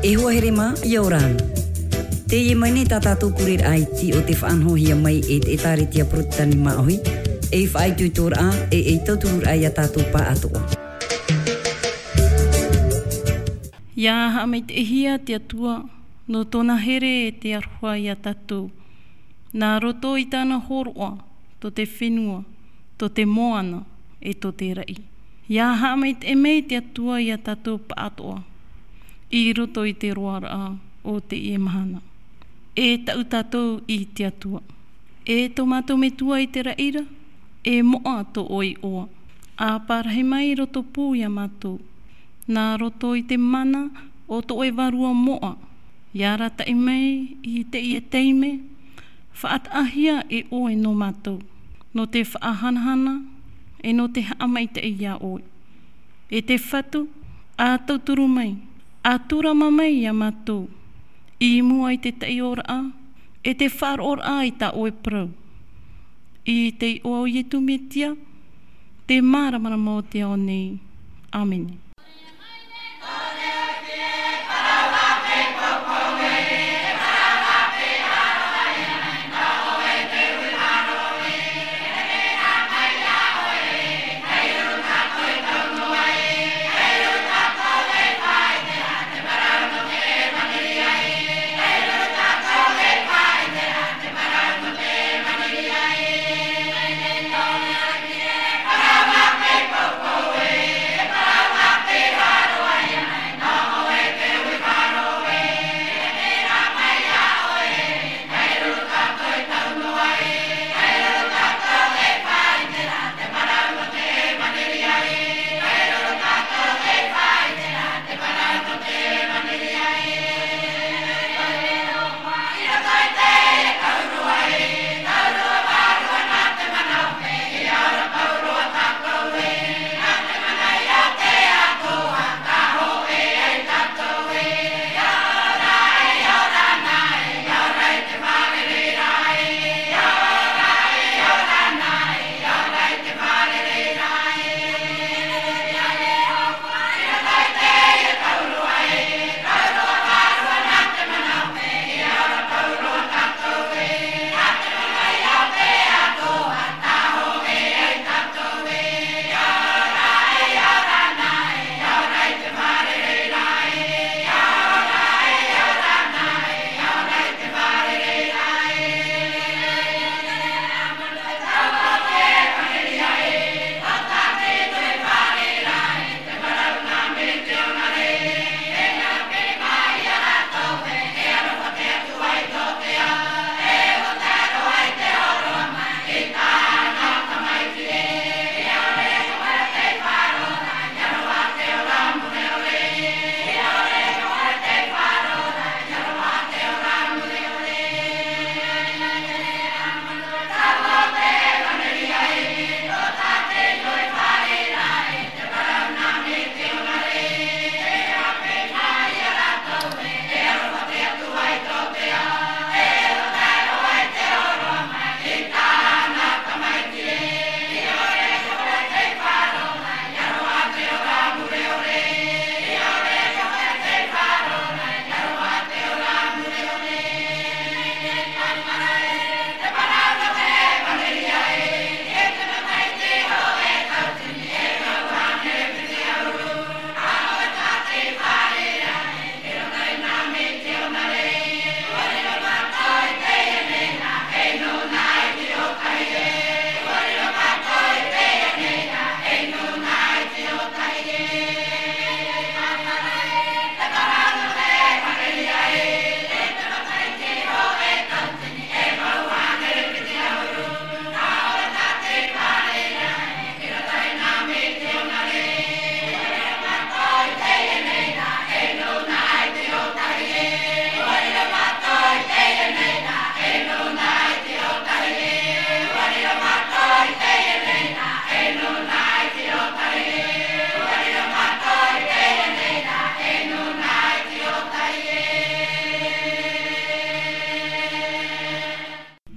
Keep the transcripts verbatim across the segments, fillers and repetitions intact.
E hoa here mā, ʻia ora na. Teie mai nei tā tātou kureraʻa iti o te faʻanahohia mai e te ʻĒtārētia Porotetani Māʻohi, ei faʻaitoitoraʻa, e ei tautururaʻa ia tātou pāʻatoʻa. ʻIa haʻamaitaʻihia te Atua, nō tōna here e te aroha ia tātou. Nā roto i tāna hōroʻa, tō te fenua, tō te moana, e tō te raʻi. ʻIa haʻamaitaʻi mai te Atua ia tātou pāʻatoʻa, i roto i te roaraʻa o teie mahana. E taʻu tātou i te Atua. E tō mātou Metua i te raʻi ra, e moʻa tō ʻoe iʻoa. ʻA parahi mai i roto pū ia mātou. Nā roto i te mana o tō ʻoe Vārua moʻa, ʻia arataʻi mai i teie taime, faʻataʻahia e ʻoe nō mātou, nō te faʻahanahana, e nō te haʻamaitaʻi ia ʻoe. E te Fatu, ʻa tauturu mai, ʻa tūrama mai ia mātou, i mua i te taiʻoraʻa, e te faʻaroʻoraʻa i tā ʻoe parau. I te iʻoa o Ietu Metia, te māramarama o te ao nei. ʻĀmene.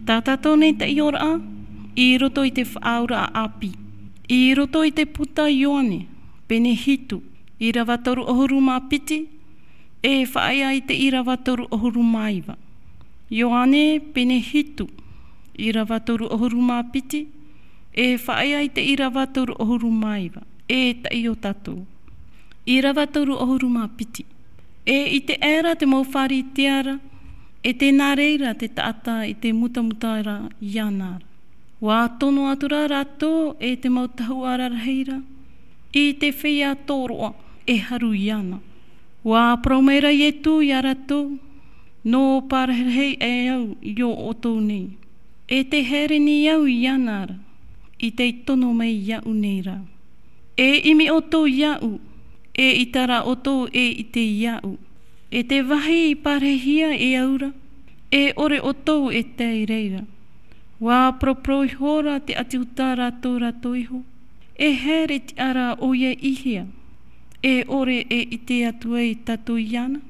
Tā tātou nei taiʻoraʻa, i roto i te Faʻaauraʻa ʻĀpī, i roto i te puta Ioane, pene hitu, ʻīrava toru ʻahuru mā piti, E faʻaea i te ʻīrava toru ʻahuru mā iva. Ioane pene hitu, ʻīrava toru ʻahuru mā piti, e faʻaea i te ʻīrava toru ʻahuru mā iva. E taʻi o tātou. ʻĪrava toru ʻahuru mā piti. E ʻite aʻera te mau Pharisea ra, e tē nā reira te taʻata i te mutamuta ra iāna ra. ʻUa tono atu rā rātou e te mau tahuʻa rarahi ra i te feiā tōroʻa e haru iāna. ʻUa parau mai ra Ietu iā rātou, nō parahirahi e au i ō ʻoutou nei. E tē haere nei au iāna ra, i tei tono mai iāʻu nei ra. E ʻimi ʻoutou iāʻu, e ʻaita rā ʻoutou e ʻite iāʻu. E te vāhi i parahihia e au ra, e ʻore ʻoutou e tae i reira. ʻUa paraparau iho ra te ʻāti Iuta rātou, rātou iho. E haere tiʻa ra ʻoia i hea? E ʻore e ʻite atu ai tātou iāna?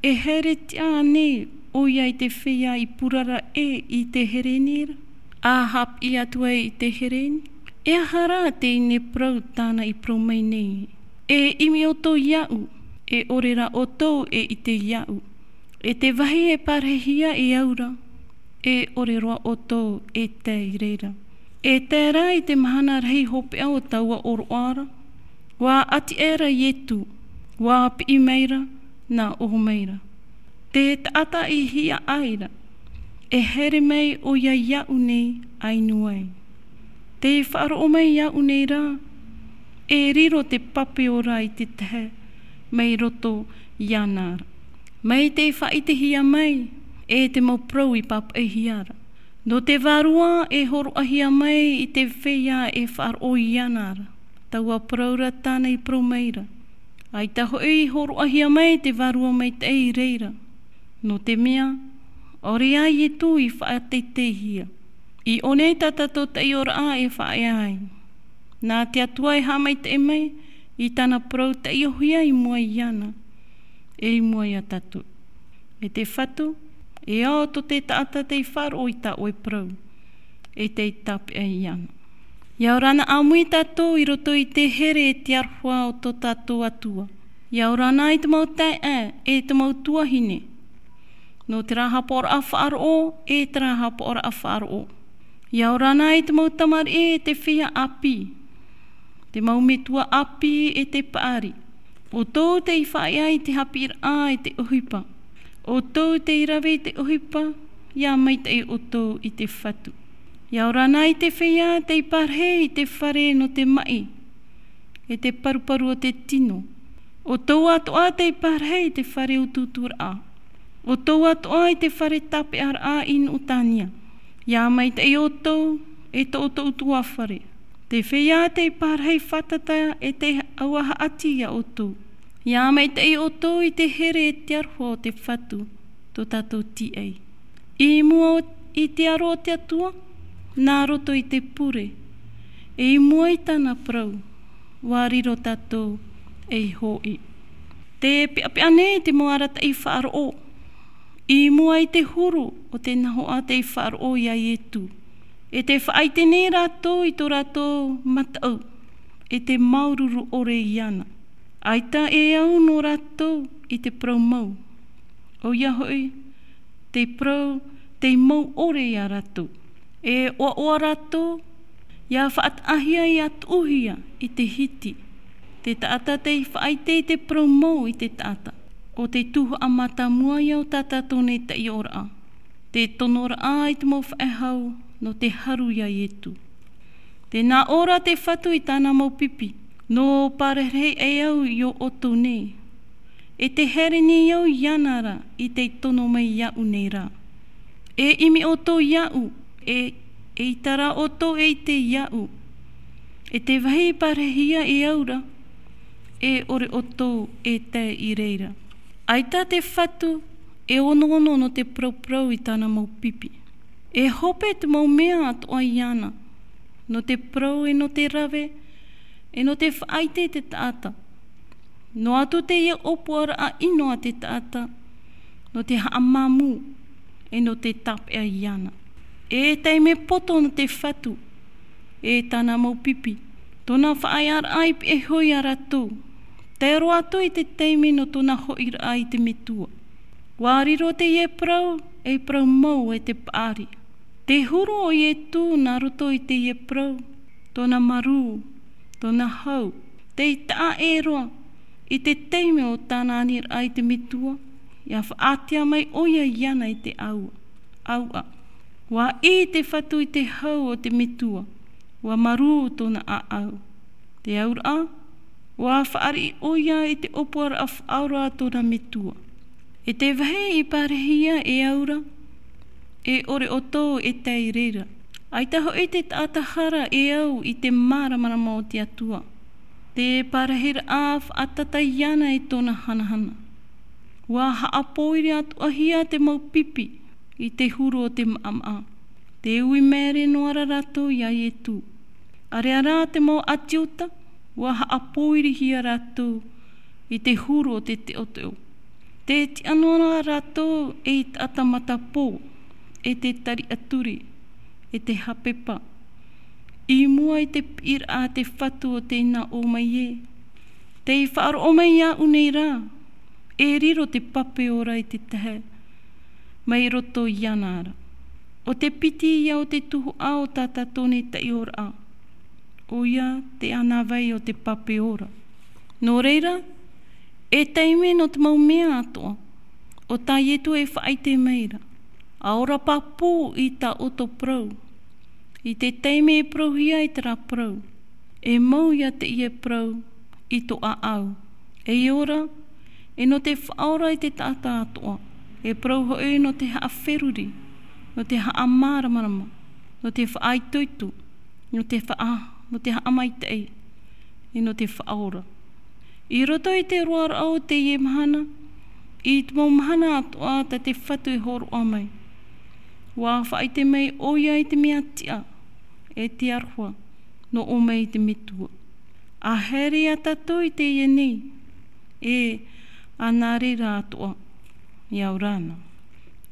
E haere tiʻa ānei ʻoia i te feiā i purara ʻē i te Hereni ra, ʻa haʻapiʻi atu ai i te Hereni? E aha rā teie nei parau tāna i parau mai nei? E ʻimi ʻoutou iāʻu, e ʻore rā ʻoutou e ʻite iāʻu. E te vāhi e parahihia e au ra, e ʻore roa ʻoutou e tae i reira. E tae rā i te mahana rahi hopeʻa o taua ʻōroʻa ra, ʻua ʻati aʻera Ietu, ʻua piʻi mai ra, nā ʻō mai ra. Te taʻata i hiaʻai ra, e haere mai ʻoia iāʻu nei ʻa inu ai. Tē faʻaroʻo mai iāʻu nei rā, e riro te pape ora i te tahe mai roto iāna ra. Mai tei faʻaʻitehia mai e te mau parau i pāpaʻihia ra. Nō te vārua e hōroʻahia mai i te feiā e faʻaroʻo iāna ra. Taua parau ra tāna i parau mai ra. ʻAita hoʻi i hōroʻahia mai te vārua maitaʻi i reira. Nō te mea, ʻaore ā Ietu i faʻateiteihia. I ʻō nei tā tātou taiʻoraʻa e faʻaea ai. Nā te Atua e haʻamaitaʻi mai i tāna parau taiʻohia i mua iāna, e i mua iā tātou. E te Fatu, e ao tō te taʻata tei faʻaroʻo i tā ʻoe parau, e tei tāpeʻa iāna. ʻIa ora na ʻāmui tātou i roto i te here e te aroha o tō tātou Atua. ʻIa ora na i te mau taeaʻe, e te mau tuahine. Nō terā hapaʻoraʻa faʻaroʻo, e terā hapaʻoraʻa faʻaroʻo. ʻIa ora na i te mau tamariʻi, e te feiā ʻāpī. Te mau metua ʻāpī, e te paʻari. ʻOutou tei faʻaea i te haʻapiʻiraʻa i te ʻohipa. ʻOutou tei rave i te ʻohipa, ʻia maitaʻi ʻoutou i te Fatu. ʻIa ora na i te feiā tei parahi i te fare nō te maʻi, e te paruparu o te tino. ʻOutou atoʻa tei parahi i te fare utuuturaʻa. ʻOutou atoʻa i te fare tāpeʻaraʻa i Nuʻutania. ʻIa maitaʻi ʻoutou, e tō ʻoutou tuafare. Te feiā tei parahi fātata e tei auaha ʻati iā ʻoutou. ʻIa maitaʻi ʻoutou i te here e te aroha o te Fatu, tō tātou tīaʻi. I mua i te aro o te Atua, nā roto i te pure, e i mua i tāna parau, ʻua riro tātou ei hoʻi. Tē peʻapeʻa nei te mau arataʻi faʻaroʻo, i mua i te huru o te nahoʻa tei faʻaroʻo iā Ietu. E tē faʻaʻite nei rātou i tō rātou mataʻu, e tē māuruuru ʻore iāna. ʻAita e au nō rātou i te parau mau. ʻOia hoʻi, te parau, tei mau ʻore iā rātou. E ʻoaʻoa rātou, ʻia faʻataʻahia, ʻia tuʻuhia i te hiti. Te taʻata tei faʻaʻite i te parau mau i te taʻata. ʻO te tuhaʻa mātāmua ia o tā tātou nei taiʻoraʻa. Te tonoraʻa i te mau faʻehau, nō te haru iā Ietu. Tē nā ʻō ra te Fatu i tāna mau pipi, nō parahirahi e au i ō ʻoutou nei. E tē haere nei au iāna ra, i tei tono mai iāʻu nei ra. E ʻimi ʻoutou iāʻu, e, e ʻaita rā ʻoutou e ʻite iāʻu. E te vāhi i parahihia e au ra, e ʻore ʻoutou e tae i reira. ʻAita te Fatu, e onoono nō te parauparau i tāna mau pipi. E hope te mau mea atoʻa iāna, nō te parau e nō te rave, e nō te faʻaʻite i te taʻata. Noa atu teie ʻōpuaraʻa ʻino a te taʻata, nō te haʻamāmū, e nō te tāpeʻa iāna. E taime poto nō te Fatu, e tāna mau pipi. Tōna faʻaearaʻa i pihaʻi iho iā rātou. E roa atu i te taime nō tōna hoʻiraʻa i te metua. ʻUa riro teie parau, ei parau mau e te paʻari. Tē huru ʻo Ietu nā roto i teie parau, tōna marū, tōna hau, tei taʻa ʻē roa, i te taime o tāna aniraʻa i te metua, ʻia faʻaātea mai ʻoia iāna i te ʻāua. ʻĀuaʻa. ʻUa ʻī te Fatu i te hau o te metua, ʻua marū tōna ʻāʻau. Te auraʻa, ʻua fāriʻi ʻoia i te ʻōpuaraʻa faʻaora a tōna metua. E te vāhi i parahia e au ra, e ʻore ʻoutou e tae i reira. ʻAita hoʻi te taʻata hara e au i te māramarama o te Atua. Te parahiraʻa faʻatata iāna i tōna hanahana. ʻUa haʻapōiri atoʻahia te mau pipi i te huru o te maʻamaʻa. Tē ui māere noa ra rātou iā Ietu. ʻĀreʻa rā te mau ʻĀti Iuta, ʻua haʻapōirihia rātou i te huru o te teʻoteʻo. Tē tiʻa noa ra rātou ei taʻata matapō, e te tariʻaturi, e te hapepa. I mua i te piʻiraʻa a te Fatu o tē nā ʻō mai ē, tei faʻaroʻo mai iāʻu nei rā, e riro te pape ora i te tahi mai roto iāna ra. ʻO te piti ia o te tuhaʻa o tā tātou nei taiʻoraʻa, ʻoia te ʻānāvai o te pape ora. Nō reira, e taime nō te mau mea atoʻa, ʻo tā Ietu e faʻaʻite mai ra, ʻa ora pāpū i tā ʻoutou parau. I te taime e parauhia ai terā parau, e mau ia teie parau i tō ʻāʻau. E ora, e nō te faʻaora i te taʻata atoʻa, e parau hoʻi nō te haʻaferuri, nō te haʻamāramarama, nō te faʻaitoito, nō te faʻa-, nō te haʻamaitaʻi, e nō te faʻaora. I roto i te roaraʻa o teie mahana, i te mau mahana atoʻa tā te Fatu e hōroʻa mai. ʻUa faʻaʻite mai ʻoia i te mea tiʻa, e te aroha, nō ʻō mai i te metua. ʻA haere ia tātou i teie nei, e ʻa nā reira atoʻa, e au ra na.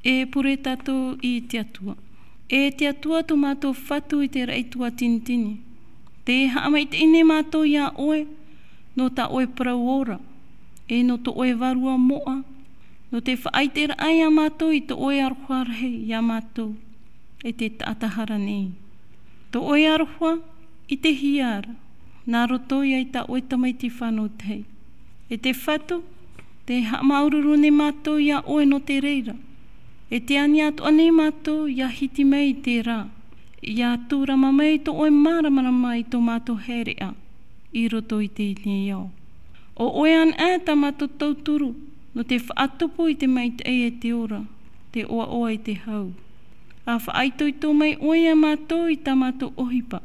E pure tātou i te Atua. E te Atua tō mātou Fatu i te raʻi tuatinitini. Tē haʻamaitaʻi nei mātou iā ʻoe, nō tā ʻoe parau ora, e nō tō ʻoe Vārua moʻa, nō te faʻaʻiteraʻa iā mātou i tō ʻoe aroha rahi iā mātou, e te taʻata hara nei. Tō ʻoe aroha, i te hia ra, nā roto ia i tā ʻoe Tamaiti fānau tahi. E te Fatu, tē haʻamāuruuru nei mātou iā ʻoe nō te reira. E tē ani atoʻa nei mātou ʻia hiti mai i terā, ʻia tūrama mai tō ʻoe māramarama i tō mātou haereʻa i roto i teie nei ao. ʻO ʻoe anaʻe tā mātou tauturu, nō te faʻatupu i te maitaʻi e te ora, te ʻoaʻoa e te hau. ʻA faʻaitoito mai ʻoe iā mātou i tā mātou ʻohipa,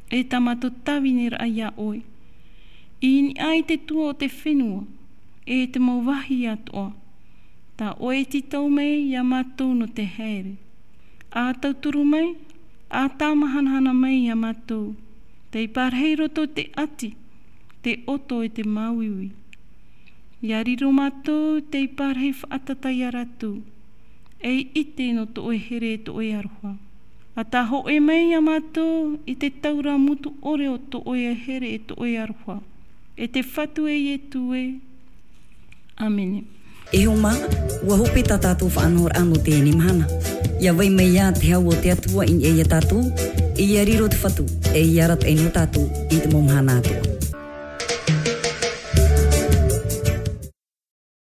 e tā mātou tāviniraʻa iā ʻoe. I niʻa i te tua o te fenua, e te mau vāhi atoʻa, tā ʻoe e tītau mai iā mātou nō te haere. ʻA tauturu mai, ʻa tāmahanahana mai iā mātou, tei parahi roto te ʻati, te ʻoto e te māuiui. ʻIa riro mātou tei parahi faʻatata iā rātou, ei ʻite nō tō ʻoe here e tō ʻoe aroha. ʻA tāhōʻē mai iā mātou i te taura mutu ʻore o tō ʻoe here e tō ʻoe aroha. E te Fatu e Ietu ē. ʻĀmene. E hoa mā, ʻua hope tā tātou faʻanahoraʻa nō teie mahana. ʻIa vai mai ā te hau o te Atua i niʻa iā tātou, e ʻia riro te Fatu, e ʻia arataʻi nō tātou i te mau mahana atoʻa.